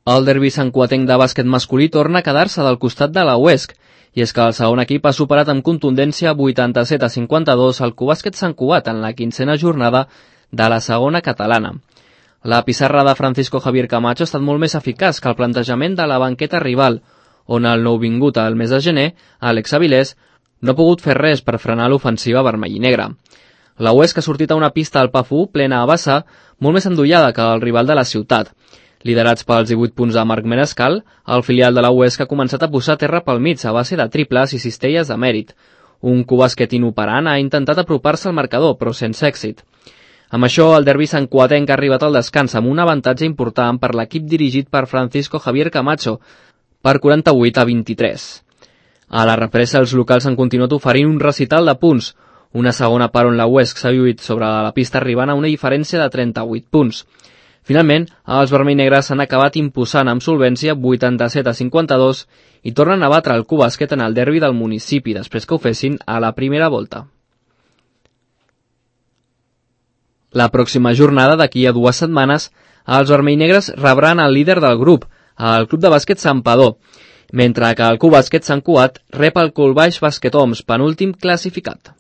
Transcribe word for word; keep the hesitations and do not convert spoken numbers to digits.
El derbi santcugatenc de bàsquet masculí torna a quedar-se del costat de la U E S C, i és que el segon equip ha superat amb contundència vuitanta-set a cinquanta-dos el Cubàsquet Sant Cugat en la quinzena jornada de la segona catalana. La pissarra de Francisco Javier Camacho ha estat molt més eficaç que el plantejament de la banqueta rival, on el nouvingut al mes de gener, Àlex Avilés, no ha pogut fer res per frenar l'ofensiva vermell i negra. La U E S C ha sortit a una pista al P A F u plena a vessar, molt més endollada que el rival de la ciutat. Liderats pels divuit punts de Marc Menescal, el filial de la U E S C ha començat a posar terra pel mig a base de triples i cistelles de mèrit. Un Cubàsquet inoperant ha intentat apropar-se al marcador, però sense èxit. Amb això, el derbi santcugatenc ha arribat al descans amb un avantatge important per l'equip dirigit per Francisco Javier Camacho, per quaranta-vuit a vint-i-tres. A la represa, els locals han continuat oferint un recital de punts, una segona part on la U E S C s'ha lluit sobre la pista arribant a una diferència de trenta-vuit punts. Finalment, els vermell-negres s'han acabat imposant amb solvència vuitanta-set a cinquanta-dos i tornen a batre el Cubàsquet en el derbi del municipi després que ho fessin a la primera volta. La pròxima jornada, d'aquí a dues setmanes, els vermell-negres rebran el líder del grup, el Club de Bàsquet Santpedor, mentre que el Cubàsquet Sant Cugat rep el Colbaix Bàsquet Oms, penúltim classificat.